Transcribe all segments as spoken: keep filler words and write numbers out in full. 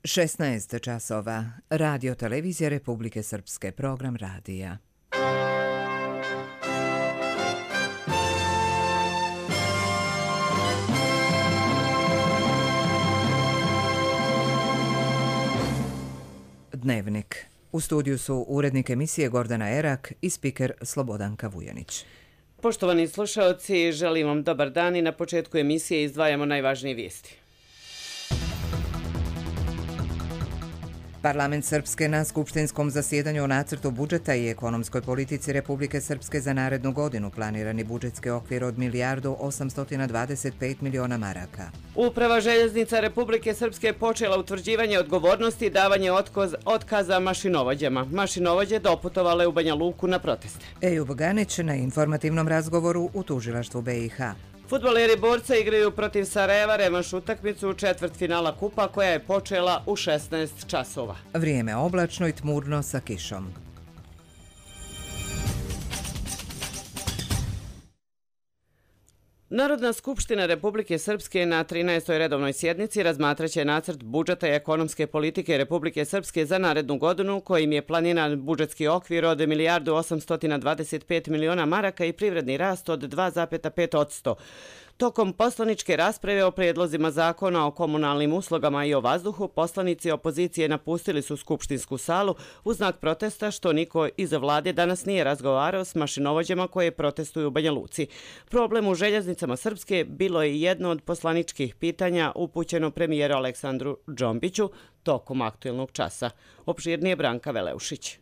šesnaest časova. Radio Televizija Republike Srpske, program radija. Dnevnik. U studiju su urednik emisije Gordana Erak i spiker Slobodanka Vujanić. Poštovani slušaoci, želim vam dobar dan i na početku emisije izdvajamo najvažnije vijesti. Parlament Srpske na skupštinskom zasjedanju o nacrtu budžeta i ekonomskoj politici Republike Srpske za narednu godinu planirani budžetski okvir od milijardu osamsto dvadeset pet miliona maraka. Uprava željeznica Republike Srpske počela utvrđivanje odgovornosti i davanje otkoz, otkaza mašinovođama. Mašinovođe doputovale u Banja Luku na proteste. Ejub Ganić na informativnom razgovoru u tužilaštvu B i H. Fudbaleri Borca igraju protiv Sarajeva revanš utakmicu u četvrtfinala kupa koja je počela u šesnaest časova. Vrijeme oblačno i tmurno sa kišom. Narodna skupština Republike Srpske na trinaestoj redovnoj sjednici razmatraće nacrt budžeta i ekonomske politike Republike Srpske za narednu godinu kojim je planiran budžetski okvir od milijardu osamsto dvadeset pet miliona maraka i privredni rast od dva zarez pet posto. Tokom poslaničke rasprave o prijedlozima zakona o komunalnim uslugama i o vazduhu, poslanici opozicije napustili su skupštinsku salu u znak protesta što niko iz vlade danas nije razgovarao s mašinovođama koje protestuju u Banja Luci. Problem u željeznicama Srpske bilo je jedno od poslaničkih pitanja upućeno premijeru Aleksandru Džombiću tokom aktuelnog časa. Opširnije Branka Veleušić.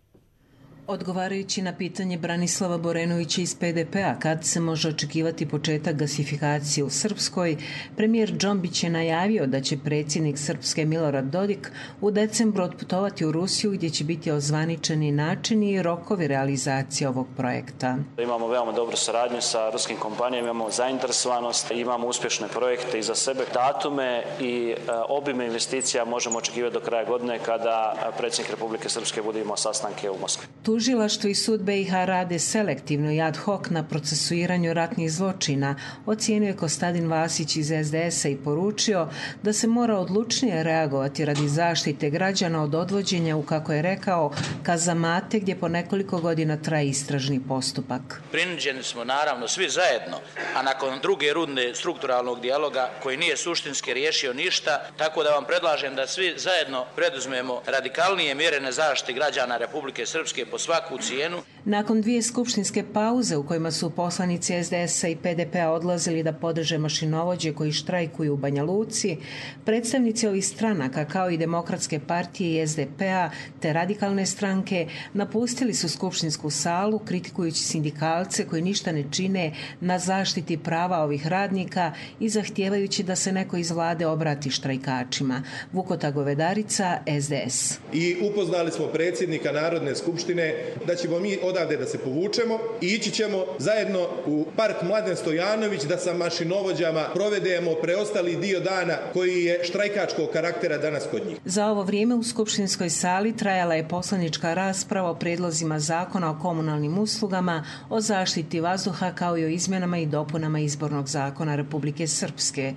Odgovarajući na pitanje Branislava Borenovića iz P D P-a kad se može očekivati početak gasifikacije u Srpskoj, premijer Džombić je najavio da će predsjednik Srpske Milorad Dodik u decembru otputovati u Rusiju gdje će biti ozvaničeni načini i rokovi realizacije ovog projekta. Imamo veoma dobru saradnju sa ruskim kompanijama, imamo zainteresovanost, imamo uspješne projekte iza sebe, datume i obime investicija možemo očekivati do kraja godine kada predsjednik Republike Srpske bude imao sastanke u Moskvi. Tužilaštvo i sud B i H rade selektivno i ad hoc na procesuiranju ratnih zločina, ocijenio je Kostadin Vasić iz S D S-a i poručio da se mora odlučnije reagovati radi zaštite građana od odvođenja u, kako je rekao, kazamate gdje po nekoliko godina traje istražni postupak. Prinuđeni smo naravno svi zajedno, a nakon druge runde strukturalnog dijaloga koji nije suštinski riješio ništa, tako da vam predlažem da svi zajedno preduzmemo radikalnije mjere na zaštiti građana Republike Srpske po svaku cijenu. Nakon dvije skupštinske pauze u kojima su poslanici S D S-a i P D P-a odlazili da podrže mašinovođe koji štrajkuju u Banja Luci, predstavnici ovih stranaka kao i Demokratske partije i S D P-a te radikalne stranke napustili su skupštinsku salu kritikujući sindikalce koji ništa ne čine na zaštiti prava ovih radnika i zahtijevajući da se neko iz vlade obrati štrajkačima. Vukota Govedarica, S D S. I upoznali smo predsjednika Narodne skupštine da ćemo mi odavde da se povučemo i ići ćemo zajedno u park Mladen Stojanović da sa mašinovođama provedemo preostali dio dana koji je štrajkačkog karaktera danas kod njih. Za ovo vrijeme u skupštinskoj sali trajala je poslanička rasprava o prijedlozima zakona o komunalnim uslugama, o zaštiti vazduha kao i o izmjenama i dopunama izbornog zakona Republike Srpske.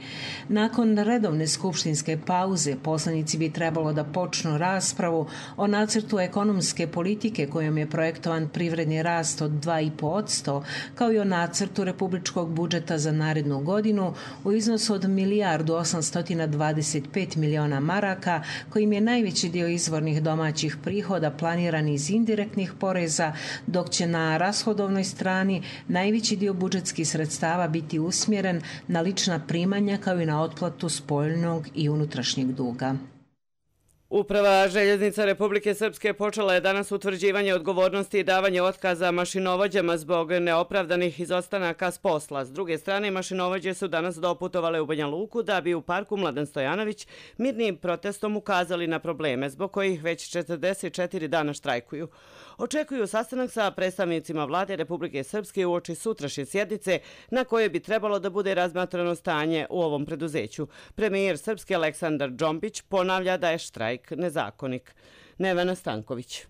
Nakon redovne skupštinske pauze poslanici bi trebalo da počnu raspravu o nacrtu ekonomske politike kojom je projektovan privredni rast od dva zarez pet posto, kao i o nacrtu republičkog budžeta za narednu godinu u iznosu od milijardu osamsto dvadeset pet miliona maraka, kojim je najveći dio izvornih domaćih prihoda planiran iz indirektnih poreza, dok će na rashodovnoj strani najveći dio budžetskih sredstava biti usmjeren na lična primanja kao i na otplatu spoljnog i unutrašnjeg duga. Uprava željeznica Republike Srpske počela je danas utvrđivanje odgovornosti i davanje otkaza mašinovođama zbog neopravdanih izostanaka s posla. S druge strane, mašinovođe su danas doputovale u Banja Luku da bi u parku Mladen Stojanović mirnim protestom ukazali na probleme zbog kojih već četrdeset četiri dana štrajkuju. Očekuju sastanak sa predstavnicima vlade Republike Srpske uoči sutrašnje sjednice na kojoj bi trebalo da bude razmatrano stanje u ovom preduzeću. Premijer Srpske Aleksandar Džombić ponavlja da je štrajk nezakonik. Nevena Stanković.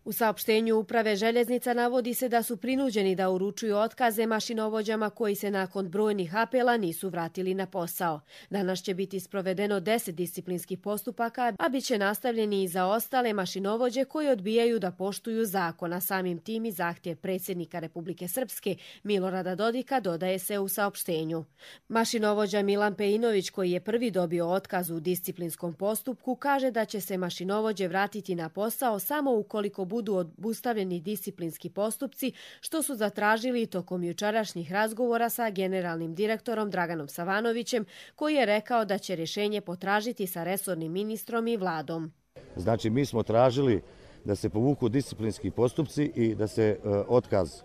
U saopštenju Uprave željeznica navodi se da su prinuđeni da uručuju otkaze mašinovođama koji se nakon brojnih apela nisu vratili na posao. Danas će biti sprovedeno deset disciplinskih postupaka, a bit će nastavljeni i za ostale mašinovođe koji odbijaju da poštuju zakon, a samim tim i zahtjev predsjednika Republike Srpske Milorada Dodika, dodaje se u saopštenju. Mašinovođa Milan Peinović, koji je prvi dobio otkaz u disciplinskom postupku, kaže da će se mašinovođe vratiti na posao samo ukoliko budu obustavljeni disciplinski postupci, što su zatražili tokom jučerašnjih razgovora sa generalnim direktorom Draganom Savanovićem, koji je rekao da će rješenje potražiti sa resornim ministrom i vladom. Znači, mi smo tražili da se povuku disciplinski postupci i da se uh, otkaz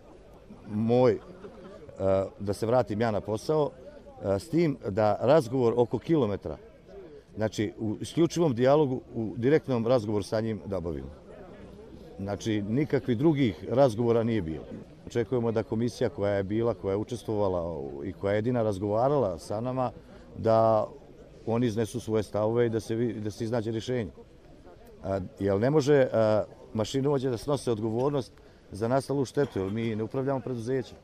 moj, uh, da se vratim ja na posao, uh, s tim da razgovor oko kilometra, znači u isključivom dijalogu, u direktnom razgovoru sa njim da obavimo. Znači, nikakvih drugih razgovora nije bilo. Očekujemo da komisija koja je bila, koja je učestvovala i koja je jedina razgovarala sa nama, da oni iznesu svoje stavove i da se, da se iznađe rješenje. A, jer ne može a, mašinovođe da snose odgovornost za nastalu štetu, jer mi ne upravljamo preduzećem.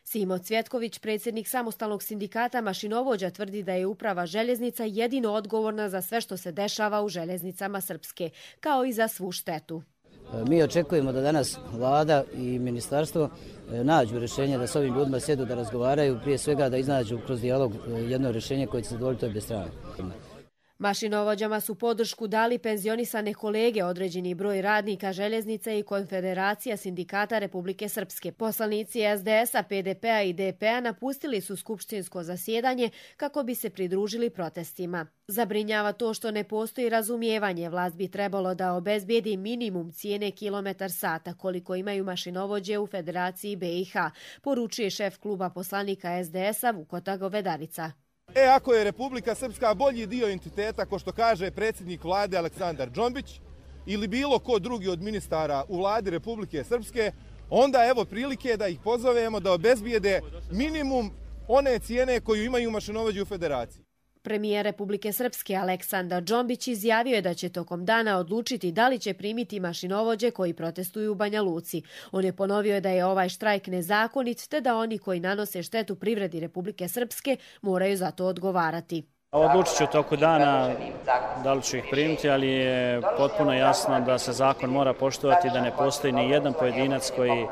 Simo Cvjetković, predsjednik samostalnog sindikata mašinovođa, tvrdi da je uprava željeznica jedino odgovorna za sve što se dešava u željeznicama Srpske, kao i za svu štetu. Mi očekujemo da danas vlada i ministarstvo nađu rješenje da s ovim ljudima sjedu da razgovaraju, prije svega da iznađu kroz dijalog jedno rješenje koje će zadovoljiti obje strane. Mašinovođama su podršku dali penzionisane kolege, određeni broj radnika željeznice i Konfederacija sindikata Republike Srpske. Poslanici S D S-a, P D P-a i D P-a napustili su skupštinsko zasjedanje kako bi se pridružili protestima. Zabrinjava to što ne postoji razumijevanje. Vlast bi trebalo da obezbijedi minimum cijene kilometar sata koliko imaju mašinovođe u Federaciji B i H, poručuje šef kluba poslanika S D S-a Vukota Govedarica. E, ako je Republika Srpska bolji dio entiteta, ko što kaže predsjednik vlade Aleksandar Džombić, ili bilo ko drugi od ministara u vladi Republike Srpske, onda evo prilike da ih pozovemo da obezbijede minimum one cijene koju imaju mašinovođe u Federaciji. Premijer Republike Srpske Aleksandar Džombić izjavio je da će tokom dana odlučiti da li će primiti mašinovođe koji protestuju u Banja Luci. On je ponovio da je ovaj štrajk nezakonit, te da oni koji nanose štetu privredi Republike Srpske moraju za to odgovarati. Odlučit ću u toku dana da li ću ih primiti, ali je potpuno jasno da se zakon mora poštovati, da ne postoji ni jedan pojedinac koji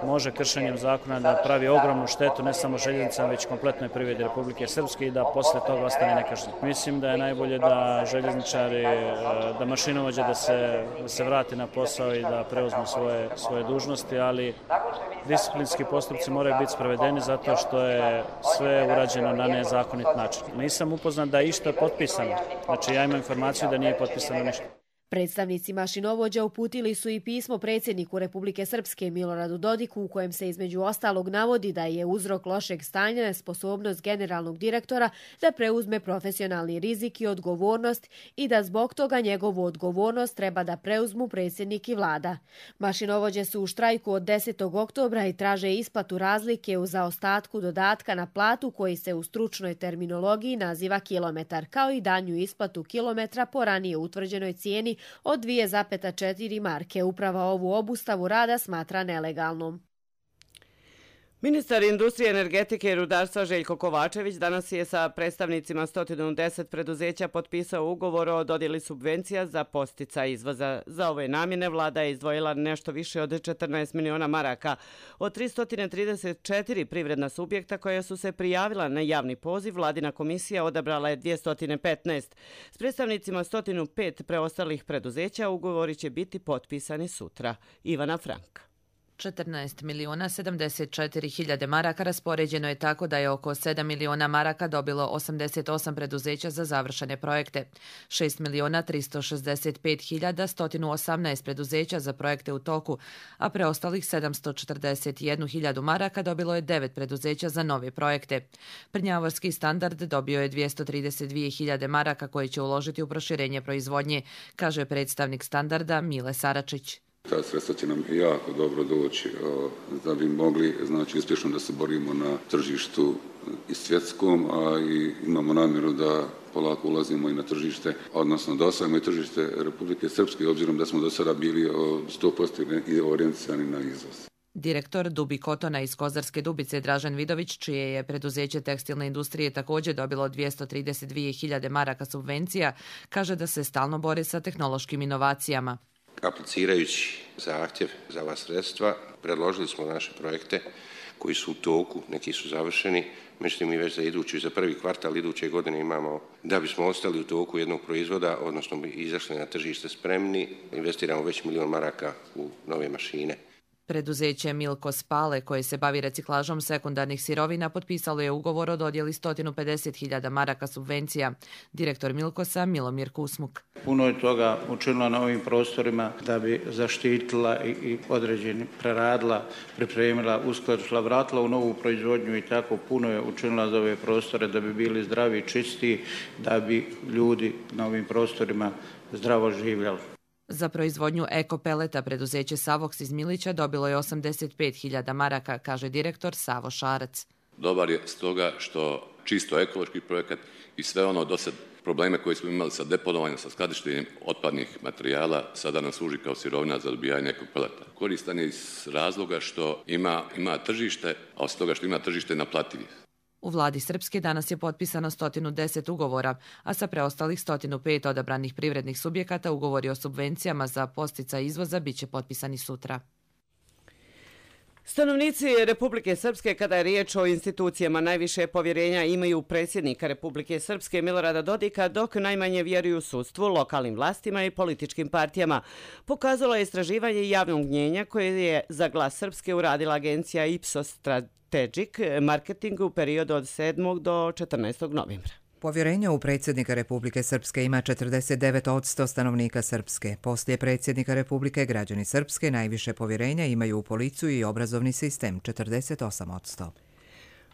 može kršenjem zakona da pravi ogromnu štetu ne samo željeznicama, već kompletnoj privredi Republike Srpske i da posle toga ostane nekažnjen. Mislim da je najbolje da željezničari, da mašinovođe da se, da se vrati na posao i da preuzmu svoje, svoje dužnosti, ali disciplinski postupci moraju biti sprovedeni zato što je sve urađeno na nezakonit način. Nisam upoznat da je išta potpisano. Znači, ja imam informaciju da nije potpisano ništa. Predstavnici mašinovođa uputili su i pismo predsjedniku Republike Srpske Miloradu Dodiku, u kojem se između ostalog navodi da je uzrok lošeg stanja nesposobnost generalnog direktora da preuzme profesionalni rizik i odgovornost i da zbog toga njegovu odgovornost treba da preuzmu predsjednik i vlada. Mašinovođe su u štrajku od desetog oktobra i traže isplatu razlike u zaostatku dodatka na platu koji se u stručnoj terminologiji naziva kilometar, kao i danju isplatu kilometra po ranije utvrđenoj cijeni od dvije zarez četiri marke. Uprava ovu obustavu rada smatra nelegalnom. Ministar industrije, energetike i rudarstva Željko Kovačević danas je sa predstavnicima sto deset preduzeća potpisao ugovor o dodjeli subvencija za podsticaj izvoza. Za ove namjene vlada je izdvojila nešto više od četrnaest miliona maraka. Od tristo trideset četiri privredna subjekta koja su se prijavila na javni poziv, vladina komisija odabrala je dvjesto petnaest. S predstavnicima sto pet preostalih preduzeća ugovori će biti potpisani sutra. Ivana Franka. četrnaest miliona sedamdeset četiri hiljade maraka raspoređeno je tako da je oko sedam miliona maraka dobilo osamdeset osam preduzeća za završene projekte, šest miliona tristo šezdeset pet hiljada sto osamnaest preduzeća za projekte u toku, a preostalih sedamsto četrdeset jednu hiljadu maraka dobilo je devet preduzeća za nove projekte. Prnjavorski standard dobio je dvjesto trideset dvije hiljade maraka koje će uložiti u proširenje proizvodnje, kaže predstavnik standarda Mile Saračić. Ta sredstva će nam jako dobro doći da bi mogli, znači, uspješno da se borimo na tržištu i svjetskom, a i imamo namjeru da polako ulazimo i na tržište, odnosno da osvajamo i tržište Republike Srpske, obzirom da smo do sada bili sto posto orijentisani na izvoz. Direktor Dubi Kotona iz Kozarske Dubice Dražen Vidović, čije je preduzeće tekstilne industrije također dobilo dvjesto trideset dvije hiljade maraka subvencija, kaže da se stalno bori sa tehnološkim inovacijama. Aplicirajući zahtjev za ova sredstva, predložili smo naše projekte koji su u toku, neki su završeni, međutim mi već za idući, za prvi kvartal iduće godine imamo, da bismo ostali u toku jednog proizvoda, odnosno bi izašli na tržište spremni, investiramo već milion maraka u nove mašine. Preduzeće Milko Spale, koje se bavi reciklažom sekundarnih sirovina, potpisalo je ugovor o dodjeli sto pedeset hiljada maraka subvencija. Direktor Milkosa Milomir Kusmuk. Puno je toga učinila na ovim prostorima da bi zaštitila i određeni preradila, pripremila, uskladila, vratila u novu proizvodnju i tako puno je učinila za ove prostore da bi bili zdravi i čisti, da bi ljudi na ovim prostorima zdravo živjeli. Za proizvodnju ekopeleta preduzeće Savoks iz Milića dobilo je osamdeset pet hiljada maraka, kaže direktor Savo Šarac. Dobar je stoga što čisto ekološki projekat i sve ono do sad probleme koje smo imali sa deponovanjem, sa skladištenjem otpadnih materijala, sada nam služi kao sirovina za dobijanje ekopeleta. Koristan je iz razloga što ima, ima tržište, a od toga što ima tržište naplativ je. U vladi Srpske danas je potpisano sto deset ugovora, a sa preostalih sto pet odabranih privrednih subjekata ugovori o subvencijama za podsticaj izvoza biće potpisani sutra. Stanovnici Republike Srpske, kada je riječ o institucijama, najviše povjerenja imaju predsjednika Republike Srpske Milorada Dodika, dok najmanje vjeruju sudstvu, lokalnim vlastima i političkim partijama. Pokazalo je istraživanje javnog mnjenja koje je za Glas Srpske uradila agencija Ipsos Strategic Marketing u periodu od sedmog do četrnaestog novembra. Povjerenje u predsjednika Republike Srpske ima četrdeset devet posto stanovnika Srpske. Poslije predsjednika Republike građani Srpske najviše povjerenja imaju u policiju i obrazovni sistem, četrdeset osam posto.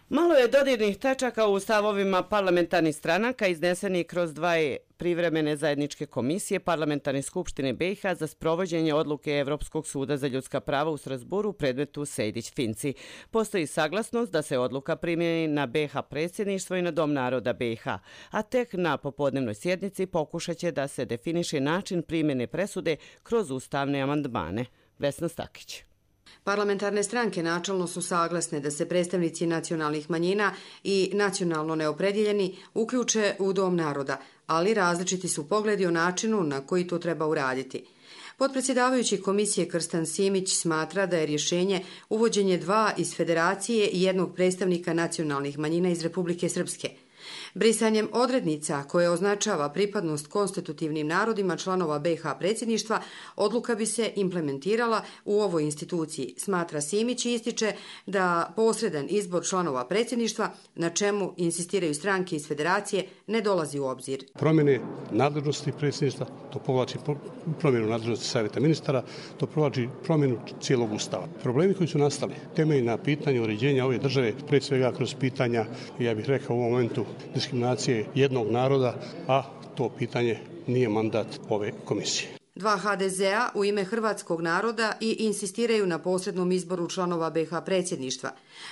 Malo je dodirnih tačaka u stavovima parlamentarnih stranaka iznesenih kroz dva privremene zajedničke komisije Parlamentarne skupštine B i H za sprovođenje odluke Evropskog suda za ljudska prava u Strasburu u predmetu Sejdić-Finci. Postoji saglasnost da se odluka primjeni na B i H predsjedništvo i na Dom naroda B i H, a tek na popodnevnoj sjednici pokušat će da se definiše način primjene presude kroz ustavne amandmane. Vesna Stakić. Parlamentarne stranke načelno su saglasne da se predstavnici nacionalnih manjina i nacionalno neopredjeljeni uključe u Dom naroda, ali različiti su pogledi o načinu na koji to treba uraditi. Potpredsjedavajući komisije Krstan Simić smatra da je rješenje uvođenje dva iz federacije i jednog predstavnika nacionalnih manjina iz Republike Srpske. Brisanjem odrednica koje označava pripadnost konstitutivnim narodima članova B i H predsjedništva, odluka bi se implementirala u ovoj instituciji, smatra Simić i ističe da posredan izbor članova predsjedništva, na čemu insistiraju stranke iz federacije, ne dolazi u obzir. Promjene nadležnosti predsjedništva, to povlači promjenu nadležnosti savjeta ministara, to povlači promjenu cijelog ustava. Problemi koji su nastali, temelji na pitanju uređenja ove države, pre svega kroz pitanja, ja bih rekao u ovom momentu, diskriminacije jednog naroda, a to pitanje nije mandat ove komisije. Dva ha de zea u ime hrvatskog naroda i insistiraju na posrednom izboru članova B i H predsjedništva.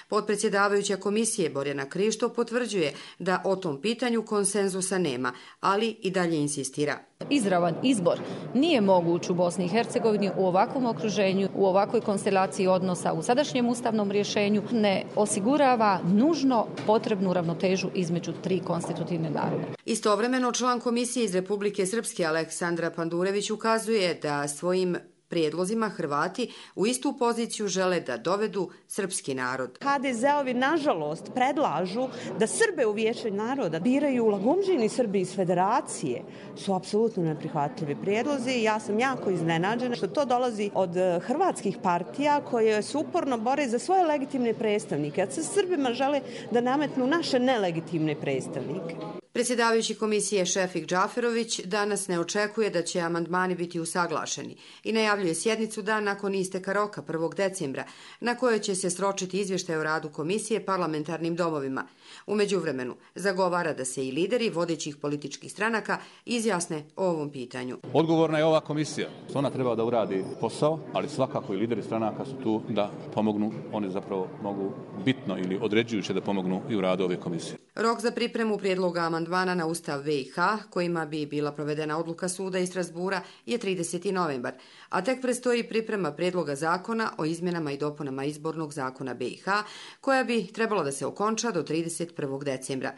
Potpredsjedavajuća komisije Borjana Krišto potvrđuje da o tom pitanju konsenzusa nema, ali i dalje insistira. Izravan izbor nije moguć u Bosni i Hercegovini u ovakvom okruženju, u ovakvoj konstelaciji odnosa, u sadašnjem ustavnom rješenju ne osigurava nužno potrebnu ravnotežu između tri konstitutivne naroda. Istovremeno član komisije iz Republike Srpske Aleksandra Pandurević ukazuje da svojim prijedlozima Hrvati u istu poziciju žele da dovedu srpski narod. ha de zeovi nažalost predlažu da Srbe u Vijeće naroda biraju lagomđini Srbi iz federacije. Su apsolutno neprihvatljivi prijedlozi i ja sam jako iznenađena što to dolazi od hrvatskih partija koje se uporno bore za svoje legitimne predstavnike, a sa Srbima žele da nametnu naše nelegitimne predstavnike. Predsjedavajući komisije Šefik Džaferović danas ne očekuje da će amandmani biti usaglašeni i najavljuje sjednicu dan nakon isteka roka prvog decembra, na kojoj će se sročiti izvještaj o radu komisije parlamentarnim domovima. U međuvremenu zagovara da se i lideri vodećih političkih stranaka izjasne o ovom pitanju. Odgovorna je ova komisija. Ona treba da uradi posao, ali svakako i lideri stranaka su tu da pomognu. Oni zapravo mogu bitno ili određujuće da pomognu i u radu ove komisije. Rok za pripremu prijedloga amandmana na Ustav B i H, kojima bi bila provedena odluka suda iz Strasbura, je trideseti novembar, a tek predstoji priprema prijedloga zakona o izmjenama i dopunama izbornog zakona B i H, koja bi trebala da se okonča do trideset prvog decembra.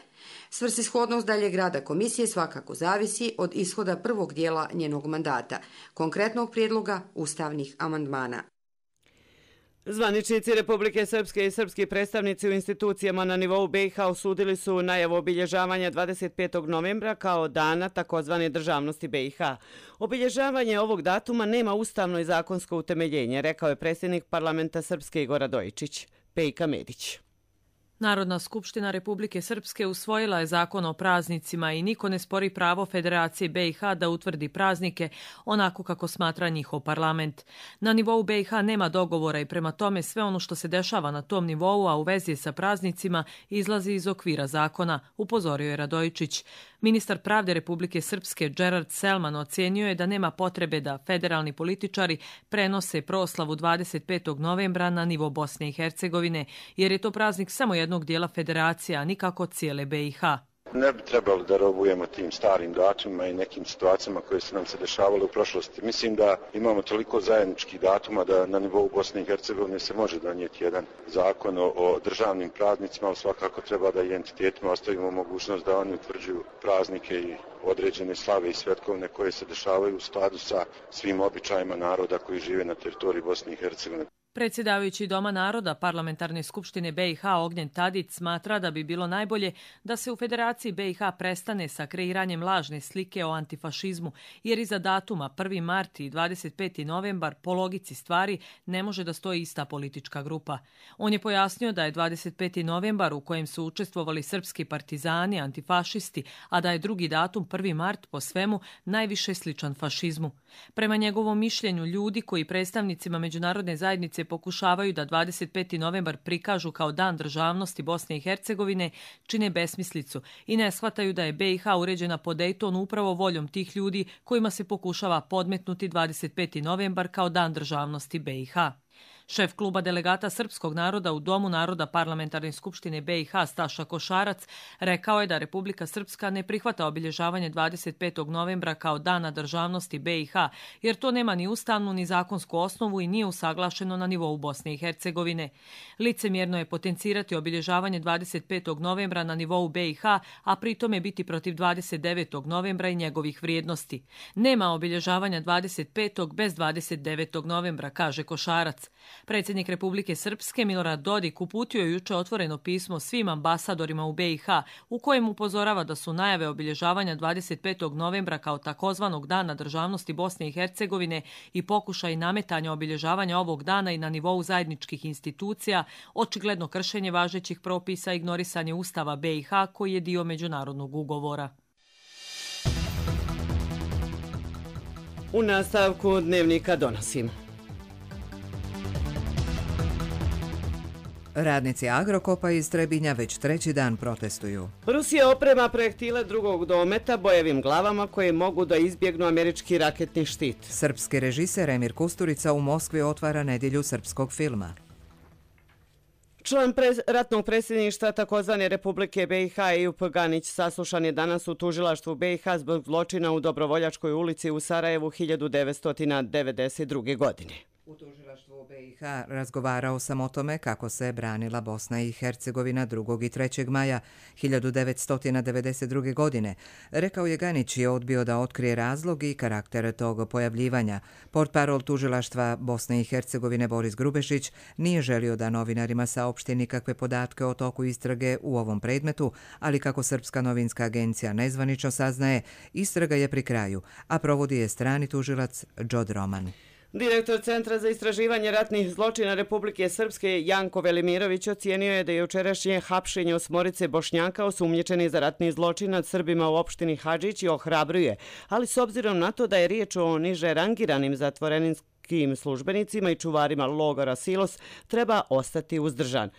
Svrsishodnost daljeg rada komisije svakako zavisi od ishoda prvog dijela njenog mandata, konkretnog prijedloga ustavnih amandmana. Zvaničnici Republike Srpske i srpski predstavnici u institucijama na nivou B i H osudili su najavu obilježavanja dvadeset petog novembra kao dana takozvane državnosti B i H. Obilježavanje ovog datuma nema ustavno i zakonsko utemeljenje, rekao je predsjednik parlamenta Srpske Igor Radojičić. Pejka Medić. Narodna skupština Republike Srpske usvojila je zakon o praznicima i niko ne spori pravo Federacije B i H da utvrdi praznike onako kako smatra njihov parlament. Na nivou B i H nema dogovora i prema tome sve ono što se dešava na tom nivou, a u vezi sa praznicima, izlazi iz okvira zakona, upozorio je Radojičić. Ministar pravde Republike Srpske Gerard Selman ocijenio je da nema potrebe da federalni političari prenose proslavu dvadeset petog novembra na nivo Bosne i Hercegovine, jer je to praznik samo jednog dijela federacije, a nikako cijele B i H. Ne bi trebalo da robujemo tim starim datumima i nekim situacijama koje su nam se dešavale u prošlosti. Mislim da imamo toliko zajedničkih datuma da na nivou Bosne i Hercegovine se može donijeti jedan zakon o, o državnim praznicima, ali svakako treba da i entitetima ostavimo mogućnost da oni utvrđuju praznike i određene slave i svetkovne koje se dešavaju u skladu sa svim običajima naroda koji žive na teritoriji Bosne i Hercegovine. Predsjedavajući Doma naroda Parlamentarne skupštine B i H Ognjen Tadić smatra da bi bilo najbolje da se u Federaciji B i H prestane sa kreiranjem lažne slike o antifašizmu, jer iza datuma prvi mart i dvadeset peti novembar po logici stvari ne može da stoji ista politička grupa. On je pojasnio da je dvadeset peti novembar u kojem su učestvovali srpski partizani, antifašisti, a da je drugi datum prvi mart po svemu najviše sličan fašizmu. Prema njegovom mišljenju, ljudi koji predstavnicima međunarodne zajednice pokušavaju da dvadeset peti novembar prikažu kao dan državnosti Bosne i Hercegovine čine besmislicu i ne shvataju da je B i H uređena po Dejtonu upravo voljom tih ljudi kojima se pokušava podmetnuti dvadeset peti novembar kao dan državnosti B i H. Šef kluba delegata srpskog naroda u Domu naroda Parlamentarne skupštine B i H Staša Košarac rekao je da Republika Srpska ne prihvata obilježavanje dvadeset petog novembra kao dana državnosti B i H, jer to nema ni ustavnu ni zakonsku osnovu i nije usaglašeno na nivou Bosne i Hercegovine. Licemjerno je potencirati obilježavanje dvadeset petog novembra na nivou B i H, a pritome biti protiv dvadeset devetog novembra i njegovih vrijednosti. Nema obilježavanja dvadeset petog bez dvadeset devetog novembra, kaže Košarac. Predsjednik Republike Srpske Milorad Dodik uputio je juče otvoreno pismo svim ambasadorima u B i H u kojem upozorava da su najave obilježavanja dvadeset petog novembra kao takozvanog dana državnosti Bosne i Hercegovine i pokušaj nametanja obilježavanja ovog dana i na nivou zajedničkih institucija očigledno kršenje važećih propisa i ignorisanje Ustava B i H koji je dio međunarodnog ugovora. U nastavku dnevnika donosim. Radnici Agrokopa iz Trebinja već treći dan protestuju. Rusija oprema projektile drugog dometa bojevim glavama koje mogu da izbjegnu američki raketni štit. Srpski režiser Emir Kusturica u Moskvi otvara nedjelju srpskog filma. Član pre, ratnog predsjedništva takozvane Republike B i H Ejup Ganić saslušan je danas u tužilaštvu B i H zbog zločina u Dobrovoljačkoj ulici u Sarajevu hiljadu devetsto devedeset druge. godine. U tužilaštvu B i H razgovarao sam o tome kako se branila Bosna i Hercegovina drugog i trećeg maja hiljadu devetsto devedeset druge. godine. Rekao je Ganić je odbio da otkrije razlog i karakter tog pojavljivanja. Portparol tužilaštva Bosne i Hercegovine Boris Grubešić nije želio da novinarima saopšti nikakve podatke o toku istrage u ovom predmetu, ali kako Srpska novinska agencija nezvanično saznaje, istraga je pri kraju, a provodi je strani tužilac Džod Roman. Direktor Centra za istraživanje ratnih zločina Republike Srpske Janko Velimirović ocijenio je da je jučerašnje hapšenje osmorice Bošnjaka osumnjičeni za ratni zločin nad Srbima u opštini Hadžić i ohrabruje, ali s obzirom na to da je riječ o niže rangiranim zatvoreninskim službenicima i čuvarima logora Silos, treba ostati uzdržan.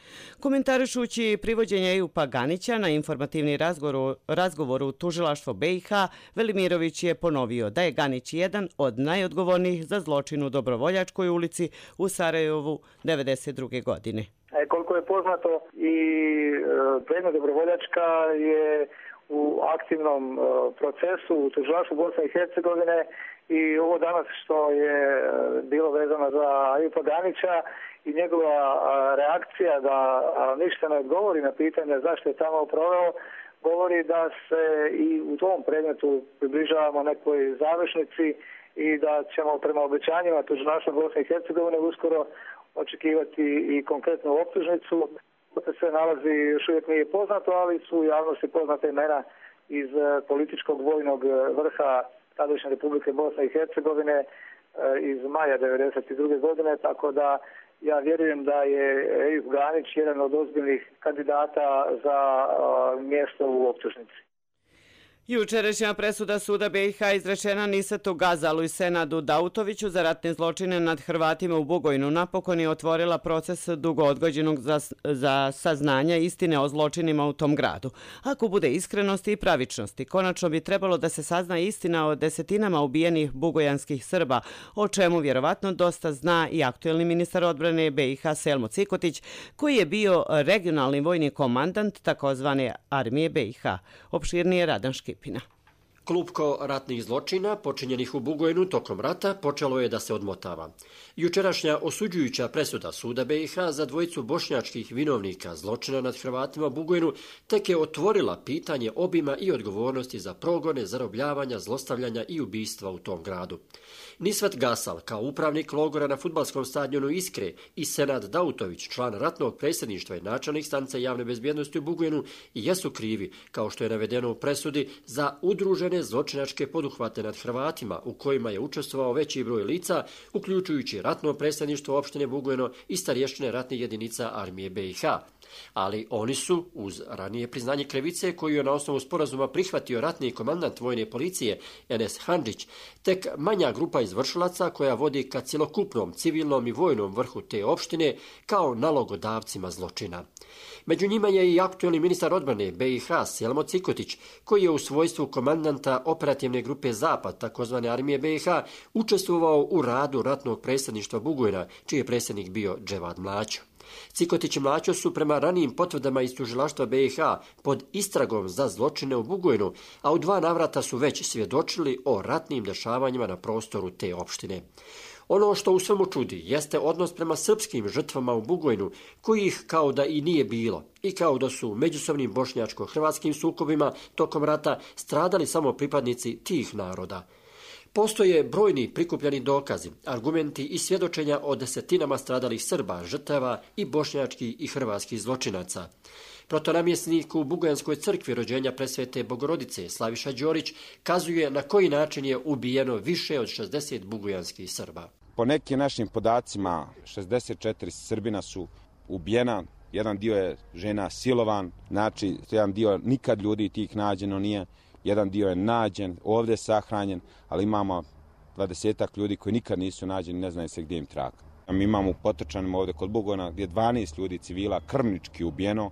Komentarišući privođenje Ejupa Ganića na informativni razgovor, razgovor u tužilaštvo B i H, Velimirović je ponovio da je Ganić jedan od najodgovornijih za zločin u Dobrovoljačkoj ulici u Sarajevu devedeset druge godine. E, koliko je poznato i e, predmet Dobrovoljačka je u aktivnom e, procesu u tužilaštvu Bosne i Hercegovine i ovo danas što je bilo vezano za Ejupa Ganića i njegova reakcija da ništa ne odgovori na pitanje zašto je tamo proveo, govori da se i u tom predmetu približavamo nekoj završnici i da ćemo prema obećanjima tužilaštva Bosne i Hercegovine uskoro očekivati i konkretnu optužnicu. To se nalazi, još uvijek nije poznato, ali su u javnosti poznate imena iz političkog vojnog vrha tadašnje Republike Bosne i Hercegovine iz maja devedeset druge godine, tako da ja vjerujem da je Ejup Ganić jedan od ozbiljnih kandidata za mjesto u optužnici. Jučerašnja presuda suda B i H izrečena Nisetu Gazalu i Senadu Dautoviću za ratne zločine nad Hrvatima u Bugojnu napokon je otvorila proces dugo odgođenog za, za saznanja istine o zločinima u tom gradu. Ako bude iskrenosti i pravičnosti, konačno bi trebalo da se sazna istina o desetinama ubijenih bugojanskih Srba, o čemu vjerovatno dosta zna i aktuelni ministar odbrane B i H Selmo Cikotić, koji je bio regionalni vojni komandant takozvane armije B i H. Opširnije Radan Škipina. Klupko ratnih zločina počinjenih u Bugojnu tokom rata počelo je da se odmotava. Jučerašnja osuđujuća presuda suda B i H za dvojicu bošnjačkih vinovnika zločina nad Hrvatima u Bugojnu tek je otvorila pitanje obima i odgovornosti za progone, zarobljavanja, zlostavljanja i ubistva u tom gradu. Nisvet Gasal, kao upravnik logora na fudbalskom stadionu Iskre, i Senad Dautović, član ratnog predsjedništva i načelnik stanice javne bezbjednosti u Bugojnu, jesu krivi, kao što je navedeno u presudi, za udružene zločinačke poduhvate nad Hrvatima u kojima je učestvovao veći broj lica, uključujući ratno predsjedništvo opštine Bugojno i starješćine ratnih jedinica armije B i H. Ali oni su, uz ranije priznanje krivice koju je na osnovu sporazuma prihvatio ratni komandant vojne policije Enes Handžić, tek manja grupa izvršilaca koja vodi ka cjelokupnom civilnom i vojnom vrhu te opštine kao nalogodavcima zločina. Među njima je i aktuelni ministar odbrane B i H Selmo Cikotić, koji je u svojstvu komandanta operativne grupe Zapad, takozvane armije B i H, učestvovao u radu ratnog predsjedništva Bugojna, čiji je predsjednik bio Dževad Mlaćo. Cikotić i Mlaćo su prema ranijim potvrdama iz tužilaštva B i H pod istragom za zločine u Bugojnu, a u dva navrata su već svjedočili o ratnim dešavanjima na prostoru te opštine. Ono što u svemu čudi jeste odnos prema srpskim žrtvama u Bugojnu, kojih kao da i nije bilo i kao da su u međusobnim bošnjačko-hrvatskim sukobima tokom rata stradali samo pripadnici tih naroda. Postoje brojni prikupljeni dokazi, argumenti i svjedočenja o desetinama stradalih Srba, žrtava i bošnjačkih i hrvatskih zločinaca. Protonamjesnik u Bugojanskoj crkvi rođenja presvete Bogorodice Slaviša Đorić kazuje na koji način je ubijeno više od šezdeset bugojanskih Srba. Po nekim našim podacima šezdeset četiri Srbina su ubijena, jedan dio je žena silovan, znači jedan dio nikad ljudi tih nađeno nije. Jedan dio je nađen, ovdje sahranjen, ali imamo dvadesetak ljudi koji nikad nisu nađeni, ne znaju se gdje im trag. Mi imamo u Potočanima ovdje kod Bugojna gdje je dvanaest ljudi civila krvnički ubijeno,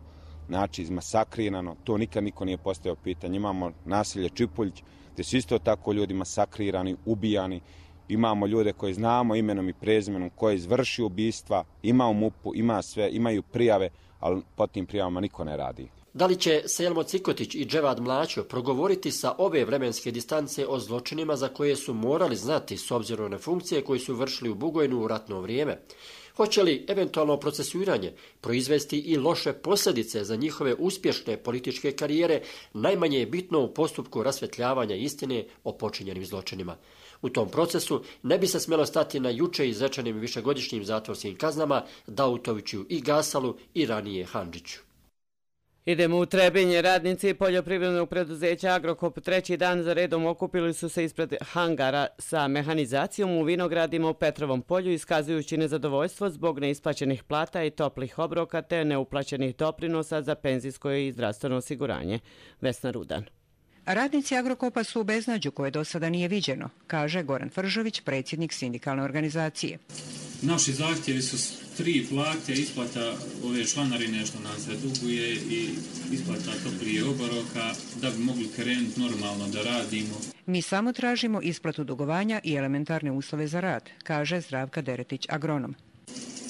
znači izmasakrirano, to nikad niko nije postavio pitanje. Imamo naselje Čipuljić gdje su isto tako ljudi masakrirani, ubijani. Imamo ljude koje znamo imenom i prezimenom, koje izvrši ubistva, ima u MUP-u, ima sve, imaju prijave, ali po tim prijavama niko ne radi. Da li će Selmo Cikotić i Dževad Mlaćo progovoriti sa ove vremenske distance o zločinima za koje su morali znati s obzirom na funkcije koje su vršili u Bugojnu u ratno vrijeme? Hoće li eventualno procesuiranje proizvesti i loše posljedice za njihove uspješne političke karijere, najmanje je bitno u postupku rasvetljavanja istine o počinjenim zločinima. U tom procesu ne bi se smjelo stati na juče izrečenim višegodišnjim zatvorskim kaznama Dautoviću i Gasalu i ranije Handžiću. Idemo u Trebinje. Radnici poljoprivrednog preduzeća Agrokop treći dan za redom okupili su se ispred hangara sa mehanizacijom u vinogradima u Petrovom polju, iskazujući nezadovoljstvo zbog neisplaćenih plata i toplih obroka te neuplaćenih doprinosa za penzijsko i zdravstveno osiguranje. Vesna Rudan. Radnici Agrokopa su u beznađu koje do sada nije viđeno, kaže Goran Fržović, predsjednik sindikalne organizacije. Naši zahtjevi su tri plate, isplata ove članarine što nam se duguje i isplata toplije obroka da bi mogli krenuti normalno da radimo. Mi samo tražimo isplatu dugovanja i elementarne uslove za rad, kaže Zdravka Deretić, agronom.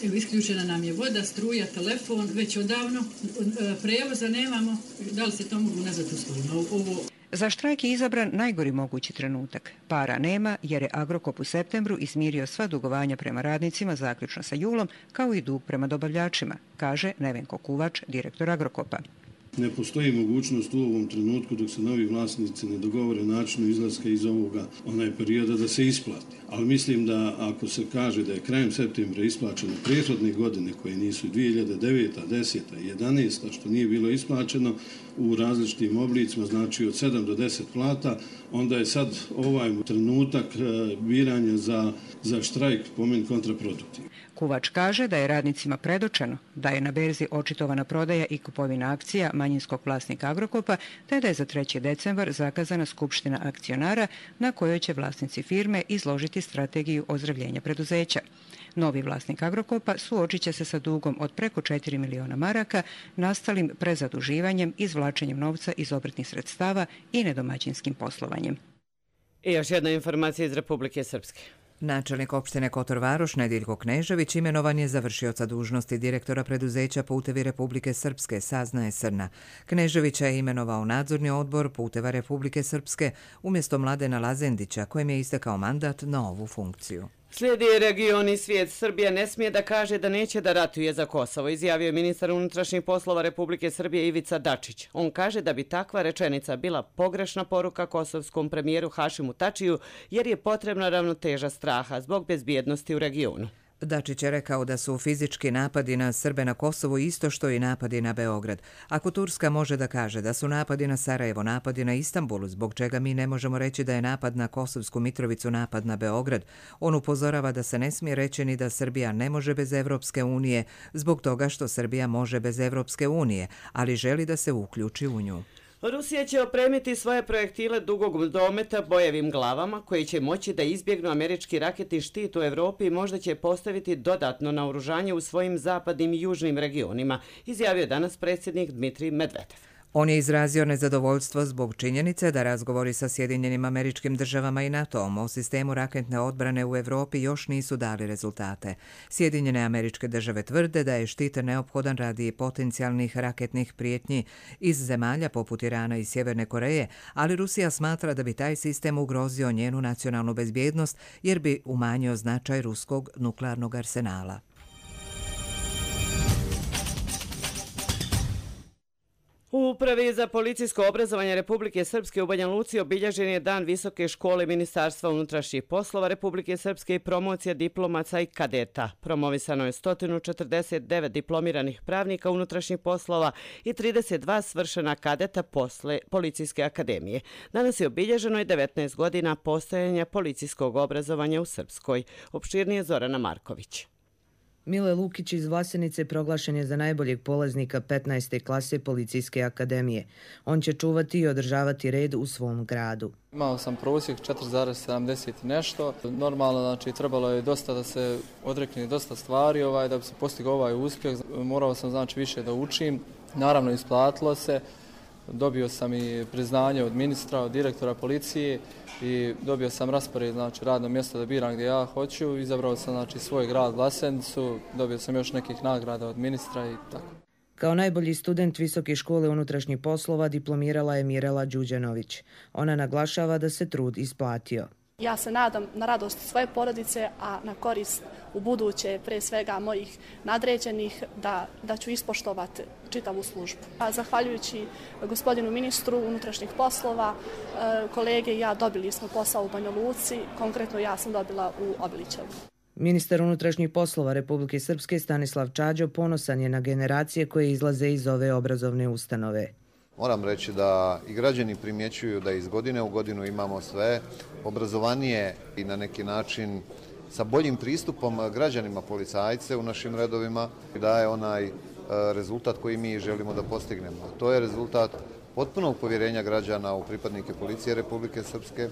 Evo, isključena nam je voda, struja, telefon, već odavno, prevoza nemamo, da li se to mogu nazvati uslovno? Ovo... Za štrajk je izabran najgori mogući trenutak. Para nema jer je Agrokop u septembru izmirio sva dugovanja prema radnicima zaključno sa julom, kao i dug prema dobavljačima, kaže Nevenko Kuvač, direktor Agrokopa. Ne postoji mogućnost u ovom trenutku dok se novi vlasnici ne dogovore načinu izlaska iz ovoga onaj perioda da se isplati. Ali mislim da ako se kaže da je krajem septembra isplaćeno prethodne godine koje nisu dvije hiljade deveta, deseta i jedanaesta što nije bilo isplaćeno u različitim oblicima, znači od sedam do deset plata, onda je sad ovaj trenutak biranja za, za štrajk po meni kontraproduktivno. Kuvač kaže da je radnicima predočeno da je na berzi očitovana prodaja i kupovina akcija manjinskog vlasnika Agrokopa, te da je za treći decembar zakazana skupština akcionara na kojoj će vlasnici firme izložiti strategiju ozdravljenja preduzeća. Novi vlasnik Agrokopa suočit će se sa dugom od preko četiri miliona maraka, nastalim prezaduživanjem, izvlačenjem novca iz obrtnih sredstava i nedomaćinskim poslovanjem. I još jedna informacija iz Republike Srpske. Načelnik opštine Kotor Varoš Nediljko Knežević imenovan je za vršioca dužnosti direktora preduzeća Putevi Republike Srpske, saznaje Srna. Kneževića je imenovao nadzorni odbor Puteva Republike Srpske umjesto Mladena Lazendića, kojem je istekao mandat na ovu funkciju. Slijedi region i svijet. Srbija ne smije da kaže da neće da ratuje za Kosovo, izjavio je ministar unutrašnjih poslova Republike Srbije Ivica Dačić. On kaže da bi takva rečenica bila pogrešna poruka kosovskom premijeru Hašimu Tačiju, jer je potrebna ravnoteža straha zbog bezbjednosti u regionu. Dačić je rekao da su fizički napadi na Srbe na Kosovu isto što i napadi na Beograd. Ako Turska može da kaže da su napadi na Sarajevo napadi na Istanbul, zbog čega mi ne možemo reći da je napad na Kosovsku Mitrovicu napad na Beograd, on upozorava da se ne smije reći ni da Srbija ne može bez Evropske unije, zbog toga što Srbija može bez Evropske unije, ali želi da se uključi u nju. Rusija će opremiti svoje projektile dugog dometa bojevim glavama koji će moći da izbjegnu američki raketni štit u Evropi i možda će postaviti dodatno naoružanje u svojim zapadnim i južnim regionima, izjavio danas predsjednik Dmitrij Medvedev. On je izrazio nezadovoljstvo zbog činjenice da razgovori sa Sjedinjenim Američkim Državama i NATO-om o sistemu raketne odbrane u Evropi još nisu dali rezultate. Sjedinjene Američke Države tvrde da je štit neophodan radi potencijalnih raketnih prijetnji iz zemalja poput Irana i Sjeverne Koreje, ali Rusija smatra da bi taj sistem ugrozio njenu nacionalnu bezbjednost jer bi umanjio značaj ruskog nuklearnog arsenala. U Upravi za policijsko obrazovanje Republike Srpske u Banja Luci obilježen je Dan Visoke škole Ministarstva unutrašnjih poslova Republike Srpske i promocija diplomaca i kadeta. Promovisano je sto četrdeset devet diplomiranih pravnika unutrašnjih poslova i trideset dva svršena kadeta posle Policijske akademije. Danas je obilježeno i devetnaest godina postojanja policijskog obrazovanja u Srpskoj. Opširnije Zorana Marković. Mile Lukić iz Vlasenice proglašen je za najboljeg polaznika petnaeste klase Policijske akademije. On će čuvati i održavati red u svom gradu. Imao sam prosjek četiri zarez sedamdeset nešto. Normalno, znači, trebalo je dosta da se odrekne dosta stvari ovaj, da bi se postigao ovaj uspjeh. Morao sam, znači, više da učim. Naravno, isplatilo se. Dobio sam i priznanje od ministra, od direktora policije i dobio sam raspored, znači, radno mjesto da biram gdje ja hoću. Izabrao sam, znači, svoj grad Vlasenicu, dobio sam još nekih nagrada od ministra i tako. Kao najbolji student Visoke škole unutrašnjih poslova diplomirala je Mirela Đuđanović. Ona naglašava da se trud isplatio. Ja se nadam na radost svoje porodice, a na korist u buduće, pre svega mojih nadređenih, da, da ću ispoštovati čitavu službu. A zahvaljujući gospodinu ministru unutrašnjih poslova, kolege i ja dobili smo posao u Banja Luci, konkretno ja sam dobila u Obilićevu. Ministar unutrašnjih poslova Republike Srpske Stanislav Čađo ponosan je na generacije koje izlaze iz ove obrazovne ustanove. Moram reći da i građani primjećuju da iz godine u godinu imamo sve obrazovanije i na neki način sa boljim pristupom građanima policajce u našim redovima daje onaj rezultat koji mi želimo da postignemo. To je rezultat potpunog povjerenja građana u pripadnike Policije Republike Srpske,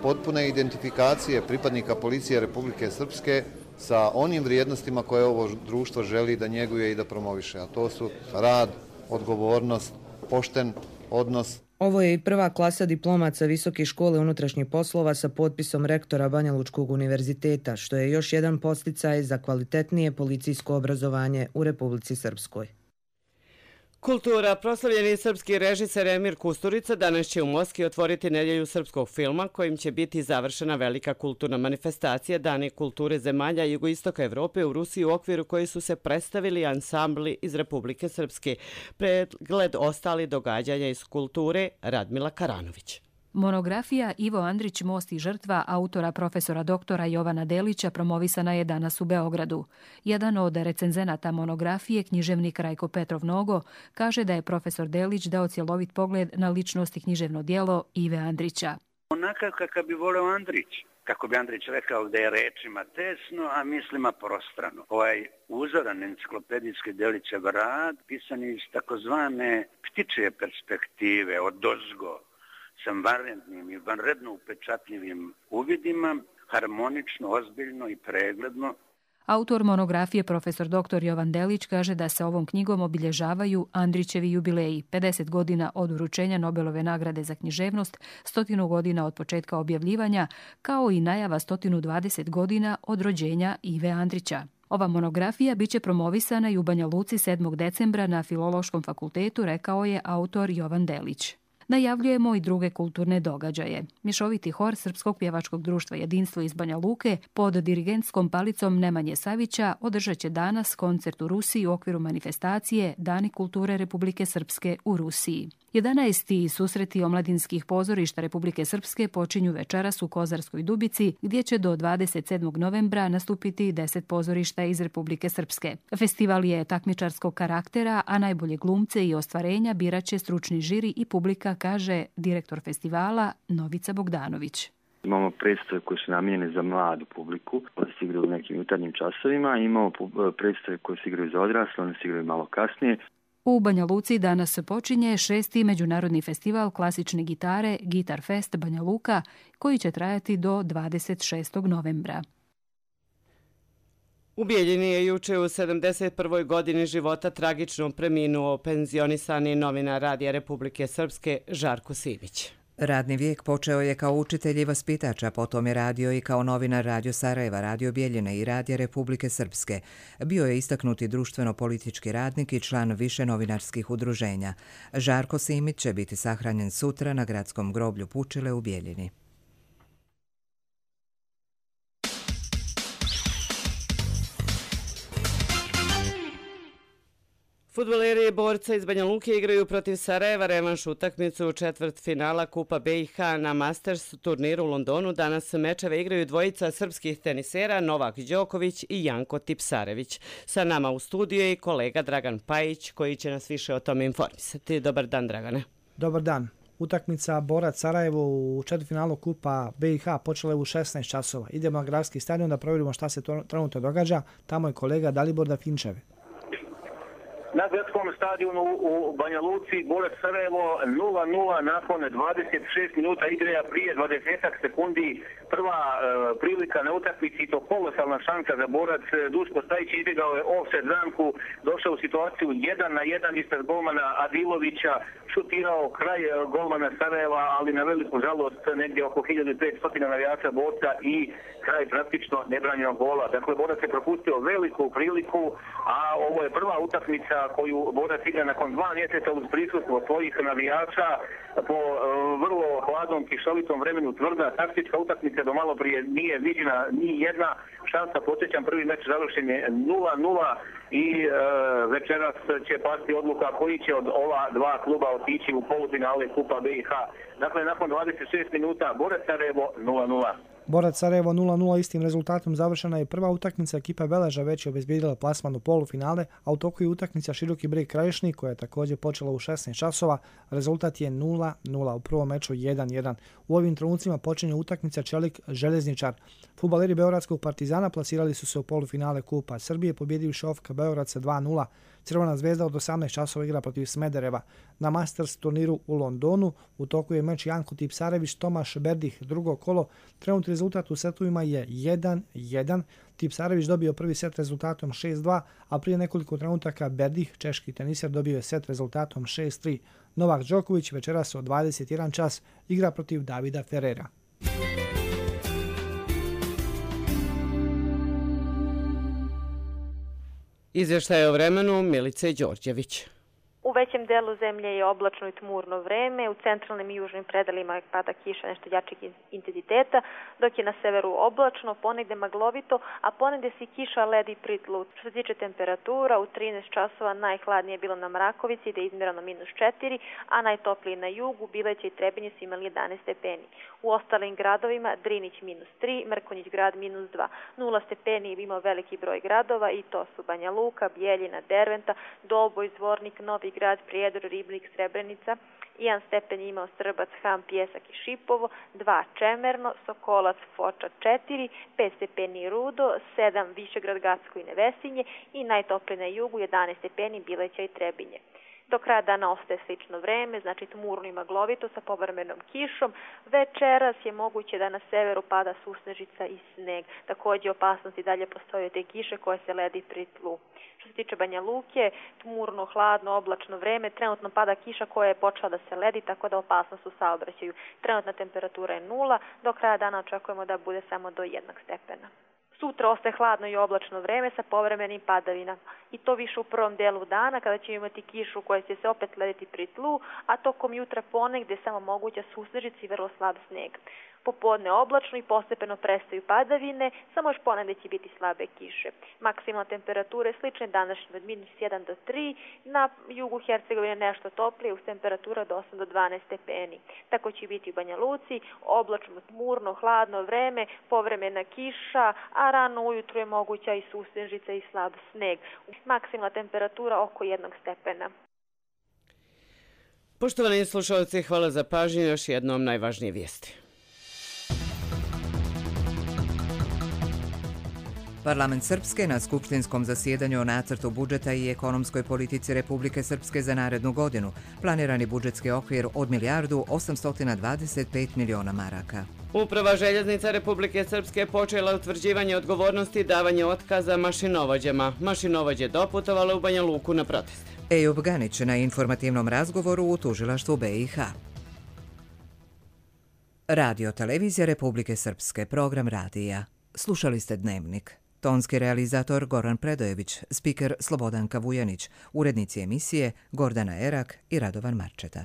potpune identifikacije pripadnika Policije Republike Srpske sa onim vrijednostima koje ovo društvo želi da njeguje i da promoviše, a to su rad, odgovornost, pošten odnos. Ovo je i prva klasa diplomaca Visoke škole unutrašnjih poslova sa potpisom rektora Banja Lučkog univerziteta, što je još jedan podsticaj za kvalitetnije policijsko obrazovanje u Republici Srpskoj. Kultura. Proslavljeni srpski režiser Emir Kusturica danas će u Moskvi otvoriti nedjelju srpskog filma kojim će biti završena velika kulturna manifestacija Dani kulture zemalja jugoistoka Evrope u Rusiji, u okviru koje su se predstavili ansambli iz Republike Srpske. Pregled ostali događanja iz kulture Radmila Karanović. Monografija Ivo Andrić, Most i žrtva autora profesora doktora Jovana Delića promovisana je danas u Beogradu. Jedan od recenzenata monografije, književnik Rajko Petrov Nogo, kaže da je profesor Delić dao cjelovit pogled na ličnost i književno djelo Ive Andrića. Onakav kakav bi voleo Andrić. Kako bi Andrić rekao da je rečima tesno, a mislima prostrano. Ovaj uzoran enciklopedijski Delićev rad pisan iz takozvane ptičje perspektive, od dozgo, sa vanrednim i vanredno upečatljivim uvidima, harmonično, ozbiljno i pregledno. Autor monografije profesor doktor Jovan Delić kaže da se ovom knjigom obilježavaju Andrićevi jubileji, pedeset godina od uručenja Nobelove nagrade za književnost, stotinu godina od početka objavljivanja, kao i najava stotinu dvadeset godina od rođenja Ive Andrića. Ova monografija biće promovisana i u Banja Luci sedmog decembra na Filološkom fakultetu, rekao je autor Jovan Delić. Najavljujemo i druge kulturne događaje. Mješoviti hor Srpskog pjevačkog društva Jedinstvo iz Banja Luke pod dirigentskom palicom Nemanje Savića održat će danas koncert u Rusiji u okviru manifestacije Dani kulture Republike Srpske u Rusiji. jedanaesti susreti omladinskih pozorišta Republike Srpske počinju večeras u Kozarskoj Dubici, gdje će do dvadeset sedmog novembra nastupiti deset pozorišta iz Republike Srpske. Festival je takmičarskog karaktera, a najbolje glumce i ostvarenja birat će stručni žiri i publika, kaže direktor festivala Novica Bogdanović. Imamo predstave koje su namijenjene za mladu publiku, one se igraju u nekim jutarnjim časovima, imamo predstave koje se igraju za odrasle, one se igraju malo kasnije. U Banja Luci danas počinje šesti međunarodni festival klasične gitare Gitar Fest Banja Luka, koji će trajati do dvadeset šestog novembra. U Bijeljini je juče u sedamdeset prvoj godini života tragično preminuo penzionisani novinar Radija Republike Srpske Žarko Simić. Radni vijek počeo je kao učitelj i vaspitač, a potom je radio i kao novinar Radio Sarajeva, Radio Bijeljine i Radija Republike Srpske. Bio je istaknuti društveno-politički radnik i član više novinarskih udruženja. Žarko Simić će biti sahranjen sutra na gradskom groblju Pučile u Bijeljini. Fudbaleri borca iz Banja Luke igraju protiv Sarajeva revanš utakmicu u četvrt finala Kupa B i H na Masters turniru u Londonu. Danas mečeve igraju dvojica srpskih tenisera Novak Đoković i Janko Tipsarević. Sa nama u studiju je i kolega Dragan Pajić koji će nas više o tome informisati. Dobar dan, Dragane. Dobar dan. Utakmica Borac Sarajevo u četvrtfinalu Kupa B i H počela je u šesnaest časova. Idemo na gradski stadion da provjerimo šta se trenutno događa. Tamo je kolega Dalibor Dafinčev. Na gradskom stadionu u Banja Luci Borac Sarajevo nula nula nakon dvadeset šest minuta igre, a prije dvadeset sekundi prva e, prilika na utakmici, to kolosalna šansa za Borac. Duško Stajić izbjegao je offset zamku, došao u situaciju jedan na jedan ispred golmana Adilovića, šutirao kraj golmana Sarajeva, ali na veliku žalost negdje oko hiljadu petsto navijača borca i kraj praktično nebranjenog gola. Dakle, Borac je propustio veliku priliku, a ovo je prva utakmica koju Borac igra nakon dva mjeseca uz prisustvo svojih navijača po uh, vrlo hladnom, kišovitom vremenu. Tvrda taktička utakmica do malo prije nije viđena ni jedna šansa. Podsjećam, prvi meč završen je nula nula i uh, večeras će pasti odluka koji će od ova dva kluba otići u polufinale Kupa B i H. Dakle, nakon dvadeset šest minuta Borac Sarajevo nula nula. Borac Sarajevo nula nula istim rezultatom završena je prva utakmica. Ekipa Veleža već je obezbijedila plasman u polufinale, a u toku je utakmica Široki Brijeg Krajišnik koja je također počela u šesnaest časova. Rezultat je nula nula, u prvom meču jedan jedan. U ovim trenucima počinje utakmica Čelik Željezničar. Fudbaleri Beogradskog Partizana plasirali su se u polufinale Kupa Srbije pobjedivši O F K Beograd sa dva nula. Crvena zvezda od osamnaest časova igra protiv Smedereva. Na Masters turniru u Londonu u toku je meč Janko Tipsarević Tomaš Berdih, drugo kolo. Trenutni rezultat u setovima je jedan jedan. Tipsarević dobio prvi set rezultatom šest dva, a prije nekoliko trenutaka Berdih, češki teniser, dobio je set rezultatom šest tri. Novak Đoković večeras od dvadeset jedan čas igra protiv Davida Ferrera. Izvještaj o vremenu Milice Đorđević. U većem delu zemlje je oblačno i tmurno vreme, u centralnim i južnim predelima pada kiša nešto jačeg intenziteta, dok je na severu oblačno, ponegde maglovito, a ponegde se kiša, led i pritlu. Što se tiče temperatura, u trinaest časova najhladnije je bilo na Mrakovici, gde je izmjereno minus četiri, a najtoplije na jugu, Bileće i Trebinje su imali jedanaest stepeni. U ostalim gradovima Drinić minus tri, Mrkonjić grad minus dva. Nula stepeni je imao veliki broj gradova i to su Banja Luka, Bijeljina, Derventa, Doboj, Zvornik, Novi Grad, Prijedor, Ribnik, Srebrenica. Jedan stepen je imao Srbac, Ham, Pjesak i Šipovo, dva Čemerno, Sokolac, Foča četiri, pet stepeni Rudo, sedam Višegrad, Gacko i Nevesinje i najtoplije na jugu jedanaest stepeni Bileća i Trebinje. Do kraja dana ostaje slično vreme, znači tmurno i maglovito sa povremenom kišom. Večeras je moguće da na severu pada susnežica i sneg. Također opasnosti dalje postoje te kiše koje se ledi pri tlu. Što se tiče Banja Luke, tmurno, hladno, oblačno vreme, trenutno pada kiša koja je počela da se ledi, tako da opasnost u saobraćaju. Trenutna temperatura je nula, do kraja dana očekujemo da bude samo do jednog stepena. Sutra ostaje hladno i oblačno vreme sa povremenim padavinama. I to više u prvom delu dana kada ćemo imati kišu koja će se opet lediti pri tlu, a tokom jutra ponegde samo moguća susnežica i vrlo slab sneg. Popodne oblačno i postepeno prestaju padavine, samo još ponegde će biti slabe kiše. Maksimalna temperatura je slična današnjim od minus jedan do tri, na jugu Hercegovine nešto toplije, uz temperatura od osam do dvanaest stepeni. Tako će biti u Banja Luci, oblačno, tmurno, hladno vreme, povremena kiša, a rano ujutru je moguća i susnežica i slab sneg. Maksimalna temperatura oko jednog stepena. Poštovani slušalci, hvala za pažnju, još jednom najvažnije vijesti. Parlament Srpske na skupštinskom zasjedanju o nacrtu budžeta i ekonomskoj politici Republike Srpske za narednu godinu. Planirani budžetski okvir od milijardu osamsto dvadeset pet miliona maraka. Uprava željeznica Republike Srpske počela utvrđivanje odgovornosti i davanje otkaza mašinovođama. Mašinovođe doputovale u Banja Luku na proteste. Ejub Ganić na informativnom razgovoru u tužilaštvu B i H. Radio Televizija Republike Srpske, program radija. Slušali ste Dnevnik. Tonski realizator Goran Predojević, spiker Slobodanka Vujanić, urednici emisije Gordana Erak i Radovan Marčeta.